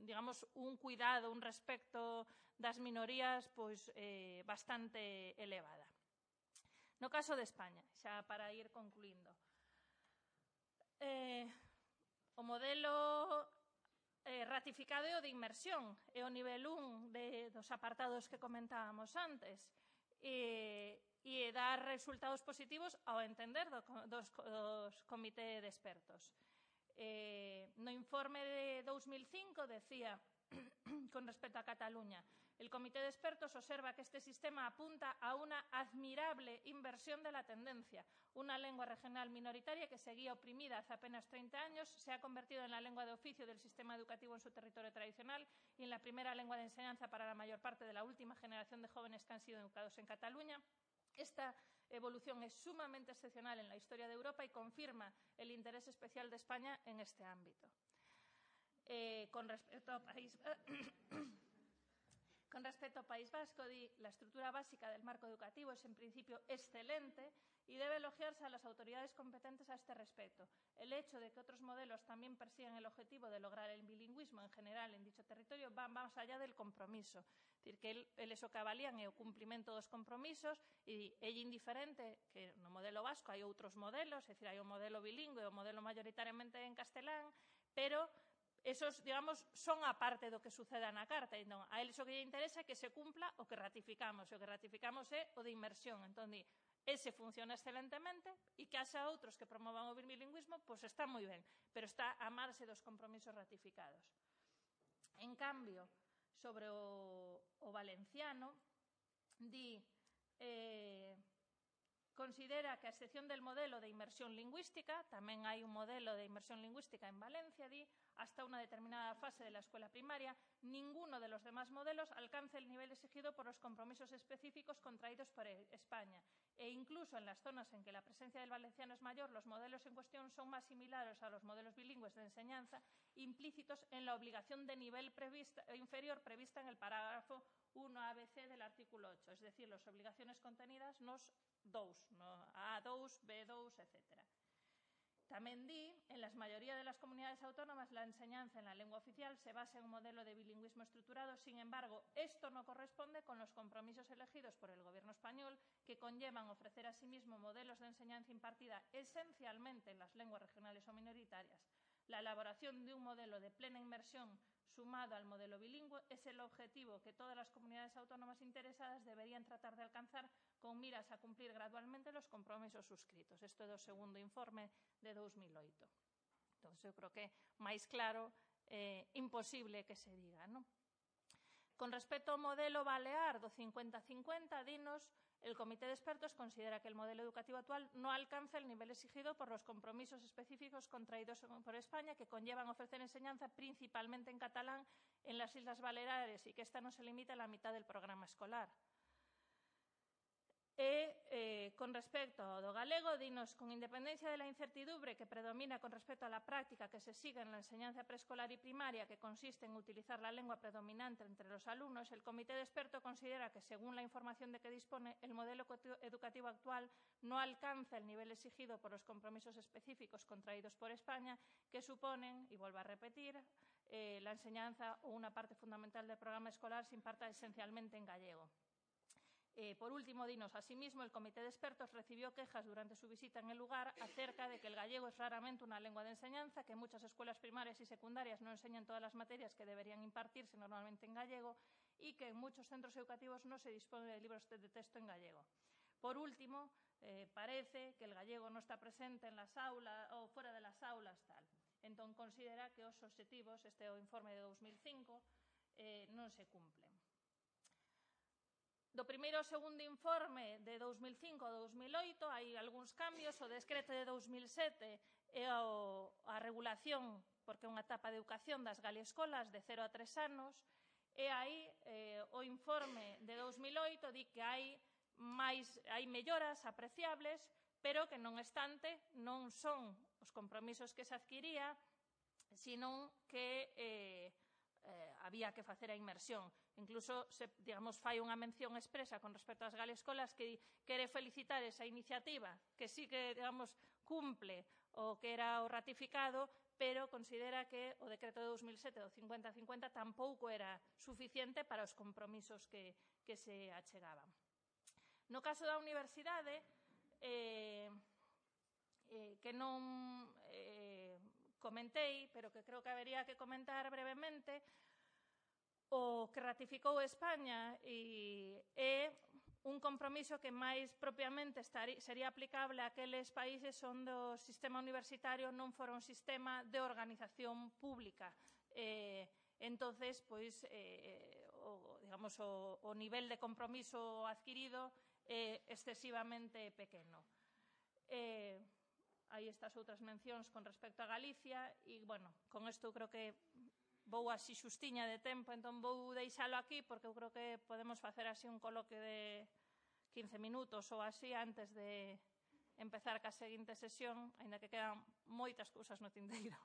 digamos, un cuidado, un respecto das minorías pois eh, bastante elevada. No caso de España, xa para ir concluindo, Eh, o modelo eh, ratificado é o de inmersión, é o nivel un de, dos apartados que comentábamos antes, e, e dar resultados positivos ao entender do, dos, dos comité de expertos. Eh, no informe de dous mil cinco decía, con respecto a Cataluña, el Comité de Expertos observa que este sistema apunta a una admirable inversión de la tendencia. Una lengua regional minoritaria que seguía oprimida hace apenas treinta años se ha convertido en la lengua de oficio del sistema educativo en su territorio tradicional y en la primera lengua de enseñanza para la mayor parte de la última generación de jóvenes que han sido educados en Cataluña. Esta evolución es sumamente excepcional en la historia de Europa y confirma el interés especial de España en este ámbito. Eh, con respecto ao país con respecto ao País Vasco, di, la estructura básica del marco educativo es en principio excelente y debe elogiarse a las autoridades competentes a este respecto. El hecho de que otros modelos también persigan el objetivo de lograr el bilingüismo en general en dicho territorio va más allá del compromiso. Es decir, que el, el eso que avalían é o cumprimento dos compromisos e é indiferente que no modelo vasco hai outros modelos, é dicir, hai o modelo bilingüe, o modelo mayoritariamente en castelán, pero esos, digamos, son a parte do que suceda na carta. Entón, a eles o que lle interesa é que se cumpla o que ratificamos. E o que ratificamos é o de inmersión. Entón, di, ese funciona excelentemente e que haxa outros que promovan o bilingüismo, pois está moi ben, pero está a marxe dos compromisos ratificados. En cambio, sobre o, o valenciano, di... Eh, considera que a excepción del modelo de inmersión lingüística, tamén hai un modelo de inmersión lingüística en Valencia, di, hasta una determinada fase de la escuela primaria, ninguno de los demás modelos alcanza el nivel exigido por los compromisos específicos contraídos por España. E incluso en las zonas en que la presencia del valenciano es mayor, los modelos en cuestión son más similares a los modelos bilingües de enseñanza implícitos en la obligación de nivel prevista, inferior prevista en el parágrafo uno A B C del artículo ocho, es decir, las obligaciones contenidas nos dous, no A dous, B dous, etcétera. Tamén di, en la mayoría de las comunidades autónomas la enseñanza en la lengua oficial se basa en un modelo de bilingüismo estructurado. Sin embargo, esto no corresponde con los compromisos elegidos por el Gobierno español, que conllevan ofrecer asimismo modelos de enseñanza impartida esencialmente en las lenguas regionales o minoritarias. La elaboración de un modelo de plena inmersión sumado al modelo bilingüe es el objetivo que todas las comunidades autónomas interesadas deberían tratar de alcanzar con miras a cumplir gradualmente los compromisos suscritos. Isto é do segundo informe de dous mil oito. Entón, eu creo que máis claro, eh, imposible que se diga, non? Con respecto ao modelo balear do cincuenta cincuenta, dinos, el Comité de Expertos considera que el modelo educativo actual no alcanza el nivel exigido por los compromisos específicos contraídos por España, que conllevan ofrecer enseñanza principalmente en catalán en las Islas Baleares y que esta no se limita a la mitad del programa escolar. E, eh, con respecto ao do galego, dinos, con independencia de la incertidumbre que predomina con respecto a la práctica que se sigue en la enseñanza preescolar y primaria, que consiste en utilizar la lengua predominante entre los alumnos, el Comité de Expertos considera que, según la información de que dispone, el modelo educativo actual no alcanza el nivel exigido por los compromisos específicos contraídos por España, que suponen, y vuelvo a repetir, eh, la enseñanza o una parte fundamental del programa escolar se imparta esencialmente en gallego. Eh, por último, dinos, asimismo, el Comité de Expertos recibió quejas durante su visita en el lugar acerca de que el gallego es raramente una lengua de enseñanza, que muchas escuelas primarias y secundarias no enseñan todas las materias que deberían impartirse normalmente en gallego y que en muchos centros educativos no se dispone de libros de texto en gallego. Por último, eh, parece que el gallego no está presente en las aulas o fuera de las aulas, tal. Entón, considera que os obxectivos, este é o informe de dous mil cinco, eh, non se cumplen. Do primeiro ao segundo informe de dous mil cinco a dous mil oito hai algúns cambios. O decreto de dous mil sete é a regulación, porque é unha etapa de educación das galiescolas de cero a tres anos, e aí eh, o informe de dous mil oito di que hai, máis, hai melloras apreciables, pero que non obstante non son os compromisos que se adquiría, sino que eh, Eh, había que facer a inmersión. Incluso, se, digamos, fai unha mención expresa con respecto ás galescolas que quere felicitar esa iniciativa, que sí que, digamos, cumple o que era o ratificado, pero considera que o decreto de dous mil sete do cincuenta cincuenta tampouco era suficiente para os compromisos que, que se achegaban. No caso da universidade, eh, eh, que non... Eh, comentei, pero que creo que habería que comentar brevemente, o que ratificou España e é un compromiso que máis propiamente sería aplicable a aqueles países onde o sistema universitario non fora un sistema de organización pública. Eh, entonces, pois, eh, o, digamos, o, o nivel de compromiso adquirido é excesivamente pequeno. Eh, Hai estas outras mencións con respecto a Galicia e, bueno, con isto creo que vou así xustiña de tempo, entón vou deixalo aquí porque eu creo que podemos facer así un coloque de quince minutos ou así antes de empezar ca seguinte sesión, aínda que quedan moitas cousas no tinteiro.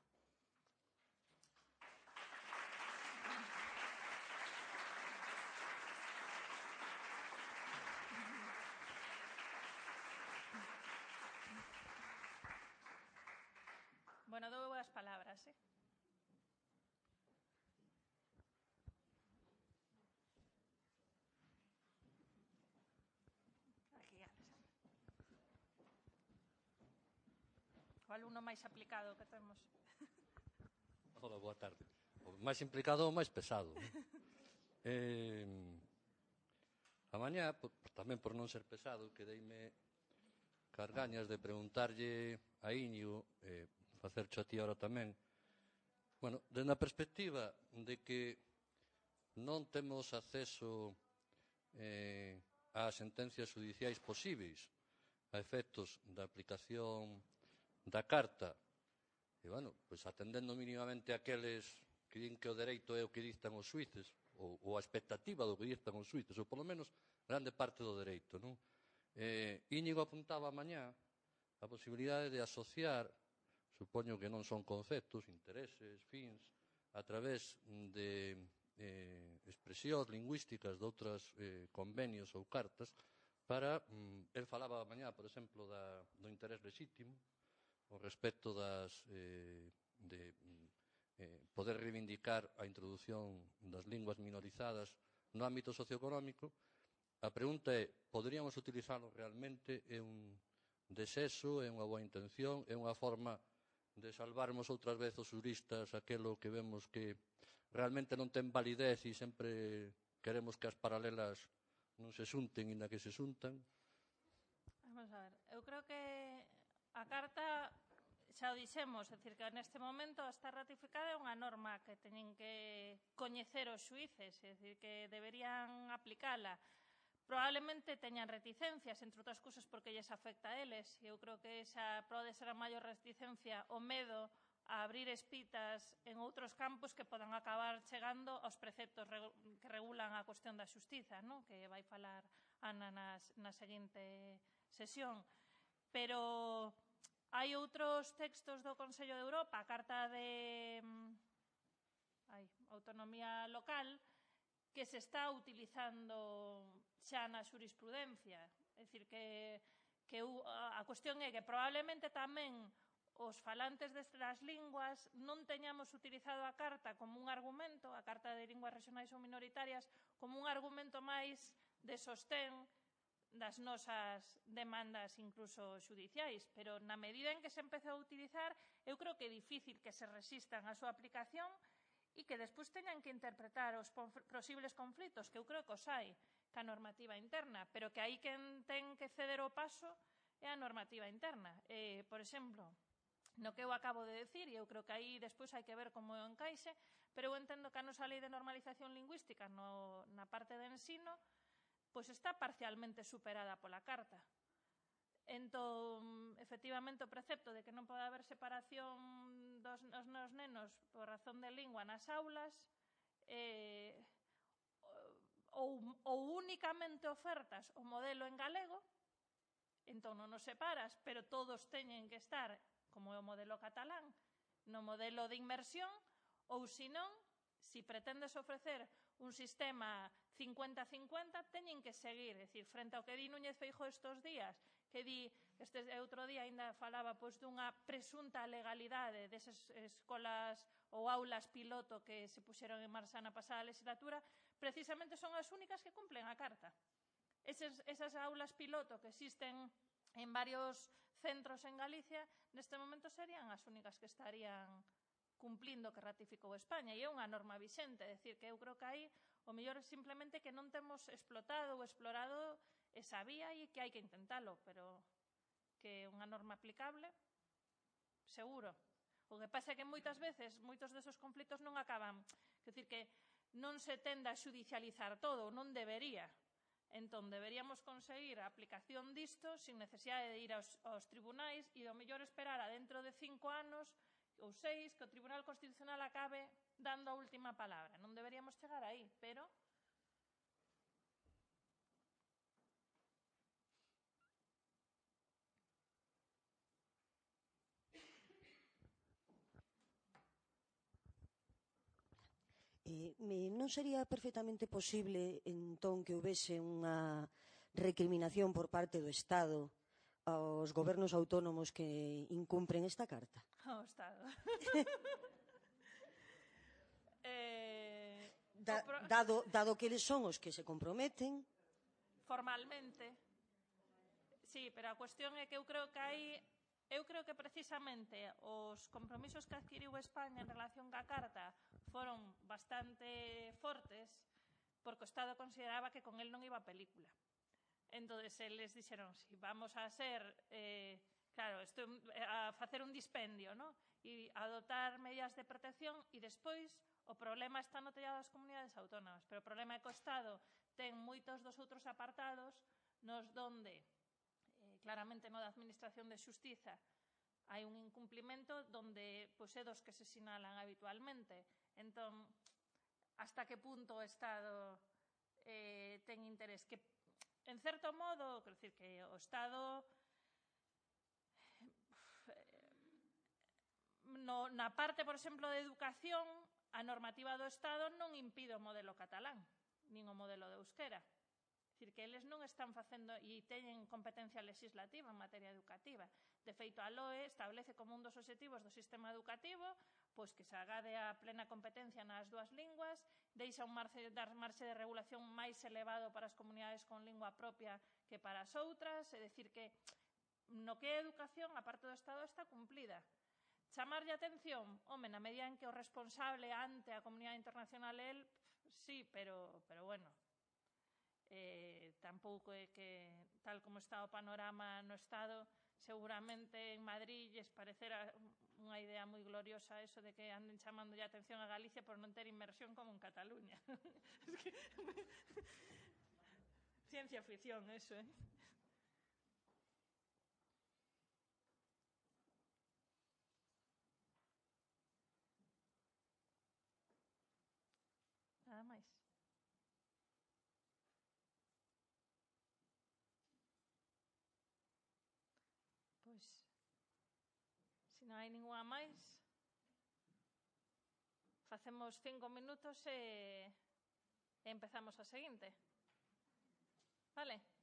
Bueno, dou as palabras, eh? Aquí, Alexandra. O alumno máis aplicado que temos. Hola, boa tarde. O máis implicado ou máis pesado. eh, a mañá, por, tamén por non ser pesado, quedeime cargañas de preguntarlle a Íñigo, eh, facercho a ti ahora tamén, bueno, desde a perspectiva de que non temos acceso eh, ás sentencias judiciais posíveis a efectos da aplicación da Carta, e, bueno, pois atendendo mínimamente aqueles que din que o dereito é o que dictan os xuíces, ou, ou a expectativa do que dictan os xuíces, ou polo menos grande parte do dereito, non? Eh, Íñigo apuntaba mañá a posibilidade de asociar, supoño que non son conceptos, intereses, fins, a través de eh, expresións lingüísticas de outros eh, convenios ou cartas para, mm, el falaba mañá, por exemplo, da, do interés lexítimo, ao respecto das, eh, de eh, poder reivindicar a introdución das linguas minorizadas no ámbito socioeconómico. A pregunta é, poderíamos utilizalo realmente? É un desexo, é unha boa intención, é unha forma de salvarmos outras veces os juristas aquelo que vemos que realmente non ten validez e sempre queremos que as paralelas non se xunten e na que se xuntan? Vamos a ver, eu creo que a Carta, xa o dixemos, é dicir, que neste momento está ratificada, é unha norma que teñen que coñecer os xuíces, é dicir, que deberían aplicala. Probablemente teñan reticencias, entre outras cousas porque lles afecta a eles, e eu creo que esa pode ser a maior reticencia, o medo a abrir espitas en outros campos que podan acabar chegando aos preceptos que regulan a cuestión da xustiza, non? Que vai falar Ana nas, na seguinte sesión. Pero hai outros textos do Consello de Europa, a Carta de ai, Autonomía Local, que se está utilizando xa na xurisprudencia. É dicir, que, que a cuestión é que probablemente tamén os falantes destas linguas non teñamos utilizado a Carta como un argumento, a Carta de Linguas Regionais ou Minoritarias, como un argumento máis de sostén das nosas demandas incluso xudiciais, pero na medida en que se empezou a utilizar, eu creo que é difícil que se resistan a súa aplicación e que despois teñan que interpretar os posibles conflitos, que eu creo que os hai, ca normativa interna, pero que aí quen ten que ceder o paso é a normativa interna. Eh, por exemplo, no que eu acabo de decir, e eu creo que aí despois hai que ver como encaixe, pero eu entendo que a nosa lei de normalización lingüística no, na parte de ensino pois está parcialmente superada pola Carta. Entón, efectivamente, o precepto de que non pode haber separación dos, dos nenos por razón de lingua nas aulas eh, ou, ou únicamente ofertas o modelo en galego, entón non nos separas, pero todos teñen que estar, como é o modelo catalán, no modelo de inmersión, ou senón, se pretendes ofrecer un sistema cincuenta cincuenta, teñen que seguir, é dicir, frente ao que di Núñez Feijóo estes días, que di, este outro día ainda falaba pois dunha presunta legalidade desas escolas ou aulas piloto que se puxeron en marcha na pasada legislatura, precisamente son as únicas que cumplen a Carta. Esas, esas aulas piloto que existen en varios centros en Galicia, neste momento serían as únicas que estarían cumplindo que ratificou España, e é unha norma vixente, é dicir, que eu creo que aí o mellor é simplemente que non temos explotado ou explorado esa vía e que hai que intentalo, pero que é unha norma aplicable, seguro. O que pasa é que moitas veces, moitos desos conflitos non acaban, é dicir, que non se tende a xudicializar todo, non debería. Entón, deberíamos conseguir a aplicación disto sin necesidade de ir aos, aos tribunais e do mellor esperar a dentro de cinco anos ou seis que o Tribunal Constitucional acabe dando a última palabra. Non deberíamos chegar aí, pero... Eh, non sería perfectamente posible, entón, que houvese unha recriminación por parte do Estado aos gobernos autónomos que incumpren esta Carta? O Estado. eh, da, pro... dado, dado que eles son os que se comprometen... Formalmente. Sí, pero a cuestión é que eu creo que hai... Eu creo que precisamente os compromisos que adquiriu España en relación ca Carta foron bastante fortes porque o Estado consideraba que con el non iba a película. Entón, eles dixeron, si vamos a ser, eh, claro, esto, a facer un dispendio, ¿no? E adoptar medidas de protección e despois o problema está no tellado das comunidades autónomas, pero o problema é que o Estado ten moitos dos outros apartados nos donde, eh, claramente no da Administración de Xustiza, hai un incumplimento donde pois, é dos que se sinalan habitualmente. Entón, hasta que punto o Estado eh, ten interés que en certo modo, quero dicir que o Estado no, na parte, por exemplo, de educación, a normativa do Estado non impide o modelo catalán, nin o modelo de euskera. Dicir, que eles non están facendo e teñen competencia legislativa en materia educativa. De feito, a L O E establece como un dos obxectivos do sistema educativo pois que se agade a plena competencia nas dúas linguas, deixa un marxe, dar marxe de regulación máis elevado para as comunidades con lingua propia que para as outras, é dicir que no que é educación, a parte do Estado está cumplida. Chamarlle a atención? Home, na medida en que o responsable ante a comunidade internacional é el, sí, pero, pero bueno, eh, tampouco é que, tal como está o panorama no Estado, seguramente en Madrid lles parecerá unha idea moi gloriosa eso de que anden chamando a atención a Galicia por non ter inmersión como en Cataluña. Es que... Ciencia ficción, eso, eh? Nada máis. Pois, se non hai ninguna máis, facemos cinco minutos e empezamos a seguinte. Vale?